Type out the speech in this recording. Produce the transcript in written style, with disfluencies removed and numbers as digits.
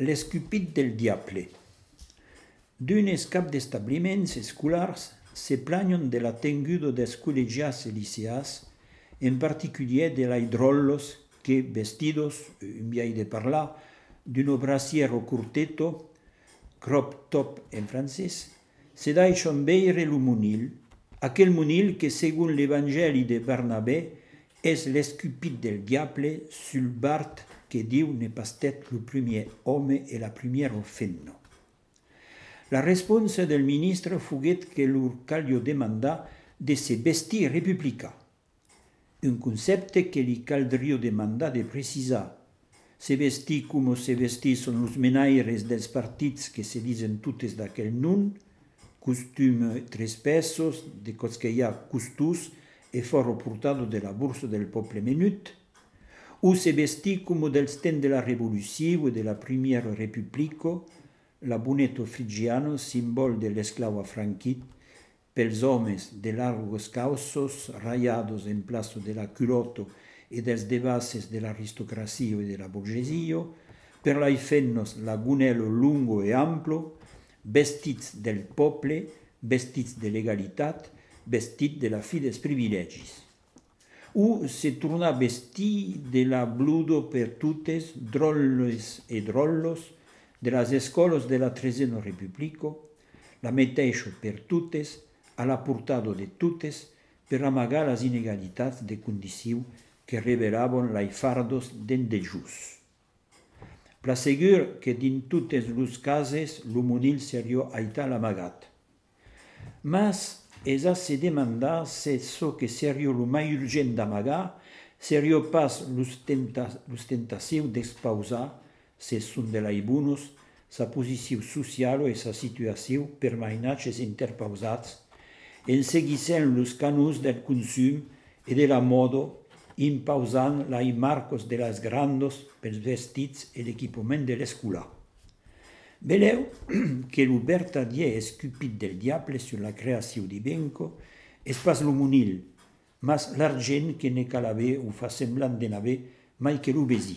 L'escupit del diable. D'unes cap d'establiments escolars se plagnon de la tenguda des col·legiats e liceats, en particulier de l'aidrollos que, vestidos, un viai de parlar, d'un brasiero curteto, crop top en francès, se deixon veire lo monil, aquel monil que, segon l'Evangeli de Barnabé, és l'escupit del diable sul bart que Diu ne pas estat lo primer home e la primièra femna. La responsa del ministre fuguet que lor calio demandar de se vestir republicà, un concepte que li caldrio demandar de precisar. Se vestir como se vestisson los menaires dels partits que se disen tutes d'aquel nom, costum tres pesos, de cos que hi ha costus e foro portado de la borsa del poble menut, o se vestir como dels temps de la Revolució e de la Primiera Repubblica, l'aboneto frigiano, simbol de l'esclau afranquit, pels homes de largos causos rayados en plaço de la culotte e dels devases de l'aristocracia e de la borgesia, per lai femnos l'agonello lungo e amplo, vestits del poble, vestits de legalitat, vestits de la fi dels privilegis. O se torna vestir de la bludo per tutes, drolles e drollos, de las escoles de la Tresena Repubblica, la meteixo per tutes, a la portado de tutes, per amagar las inegalitats de condició que revelaven lai fardos den de jus. Plasegur que din tutes los cases lo monil serio aita l'amagat. Mas es a se demandar se so que serio lo mai urgent d'amagar, serio pas l'ostentació d'expausar, se són de laibunos, sa posició social e sa situació per mainatges interpausats, en seguissent los canons del consum e de la moda, impausant lai marcos de las grandos pels vestits e l'equipament de l'escola. Veleu que lo vertadier escupit del diable sur la creació d'Ibenco és pas lo monil, mas l'argent que ne cal haver o fa semblant de n'haver mai que lo besi.